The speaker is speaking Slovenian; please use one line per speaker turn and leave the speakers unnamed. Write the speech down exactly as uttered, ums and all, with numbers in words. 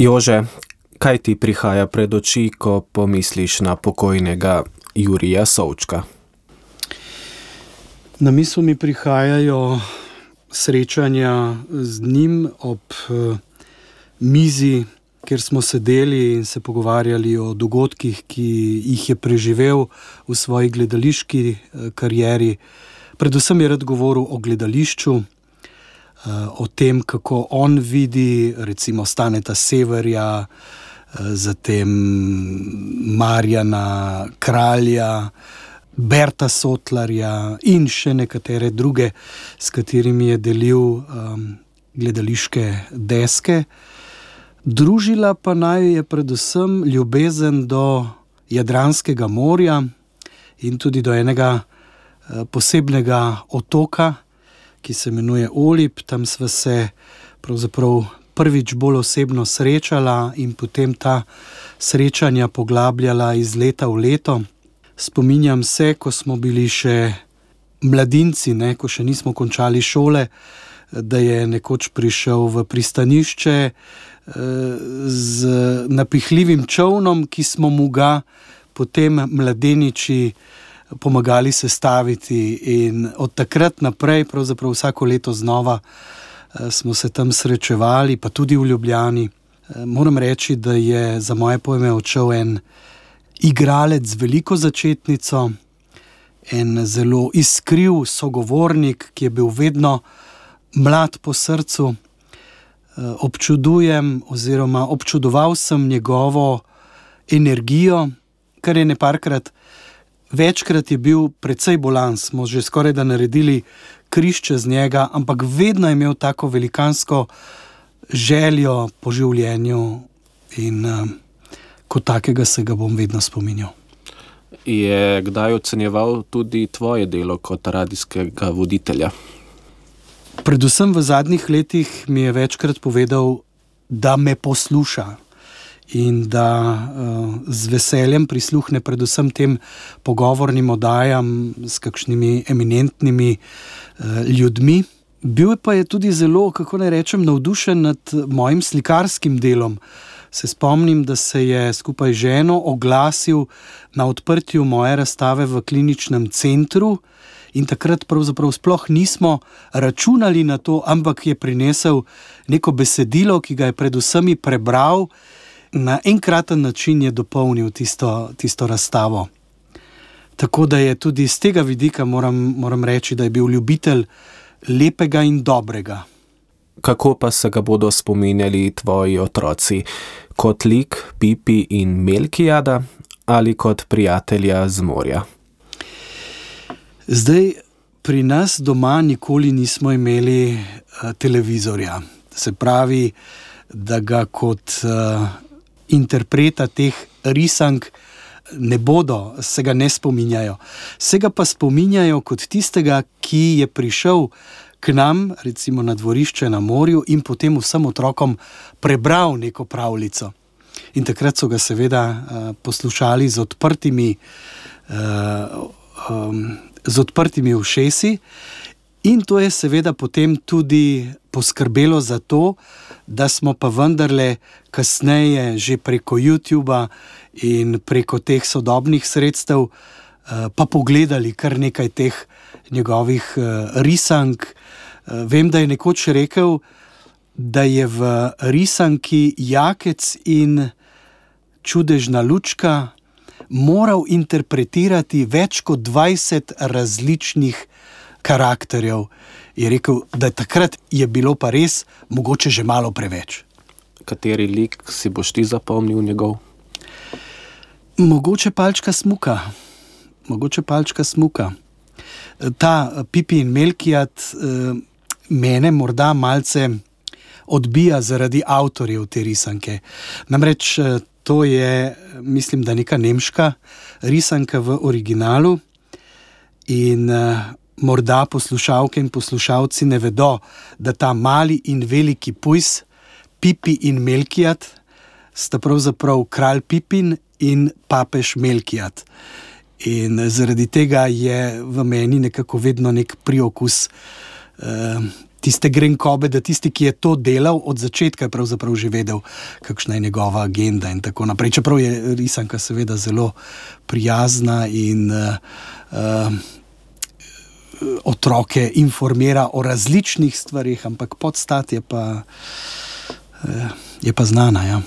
Jože, kaj ti prihaja pred oči, ko pomisliš na pokojnega Jurija Součka?
Na misel mi prihajajo srečanja z njim ob uh, mizi, kjer smo sedeli in se pogovarjali o dogodkih, ki jih je preživel v svoji gledališki uh, karieri. Predvsem je rad govoril o gledališču, uh, o tem, kako on vidi recimo Staneta Severja, uh, zatem Marjana Kralja, Berta Sotlarja in še nekatere druge, s katerimi je delil um, gledališke deske. Družila pa naj je predvsem ljubezen do Jadranskega morja in tudi do enega uh, posebnega otoka, ki se imenuje Olib. Tam sva se pravzaprav prvič bolj osebno srečala in potem ta srečanja poglabljala iz leta v leto. Spominjam se, ko smo bili še mladinci, ne, ko še nismo končali šole, da je nekoč prišel v pristanišče eh, z napihljivim čolnom, ki smo mu ga potem mladeniči pomagali sestaviti, in od takrat naprej, pravzaprav vsako leto znova eh, smo se tam srečevali, pa tudi v Ljubljani. Eh, moram reči, da je za moje pojme odšel en igralec z veliko začetnico, en zelo iskriv sogovornik, ki je bil vedno mlad po srcu. Občudujem oziroma občudoval sem njegovo energijo, kar je neparkrat, večkrat je bil precej bolan, smo že skoraj da naredili križ čez njega, ampak vedno je imel tako velikansko željo po življenju in kot takega se ga bom vedno spominjal.
Je kdaj ocenjeval tudi tvoje delo kot radijskega voditelja?
Predvsem v zadnjih letih mi je večkrat povedal, da me posluša in da uh, z veseljem prisluhne predvsem tem pogovornim oddajam s kakšnimi eminentnimi uh, ljudmi. Bil pa je tudi zelo, kako naj rečem, navdušen nad mojim slikarskim delom. Se spomnim, da se je skupaj z ženo oglasil na odprtju moje razstave v kliničnem centru in takrat pravzaprav sploh nismo računali na to, ampak je prinesel neko besedilo, ki ga je predvsem prebral, na enkraten način je dopolnil tisto, tisto razstavo. Tako da je tudi z tega vidika moram, moram reči, da je bil ljubitelj lepega in dobrega.
Kako pa se ga bodo spominjali tvoji otroci? Kot lik Pipi in Melkijada ali kot prijatelja z morja?
Zdaj, pri nas doma nikoli nismo imeli uh, televizorja. Se pravi, da ga kot uh, interpreta teh risank ne bodo, se ga ne spominjajo. Se ga pa spominjajo kot tistega, ki je prišel k nam, recimo na dvorišče na morju, in potem vsem otrokom prebral neko pravljico. In takrat so ga seveda uh, poslušali z odprtimi, uh, um, z odprtimi ušesi, in to je seveda potem tudi poskrbelo za to, da smo pa vendarle kasneje že preko YouTuba in preko teh sodobnih sredstev uh, pa pogledali kar nekaj teh njegovih uh, risank. Uh, vem, da je nekoč rekel, da je v risanki Jakec in čudežna lučka moral interpretirati več kot dvajset različnih karakterjev. Je rekel, da takrat je bilo pa res mogoče že malo preveč.
Kateri lik si boš ti zapomnil njegov?
Mogoče Palčka Smuka. Mogoče Palčka Smuka. Ta Pipi in Melkijad mene morda malce odbija zaradi avtorjev te risanke. Namreč to je, mislim, da neka nemška risanka v originalu in morda poslušalke in poslušalci ne vedo, da ta mali in veliki pujs, Pipi in Melkijad, sta pravzaprav kralj Pipin in papež Melkijad. In zaradi tega je v meni nekako vedno nek priokus eh, tiste grenkobe, da tisti, ki je to delal od začetka, je pravzaprav že vedel, kakšna je njegova agenda in tako naprej. Čeprav je risanka seveda zelo prijazna in uh, uh, otroke informira o različnih stvarih, ampak podstat je pa, uh, je pa znana, ja.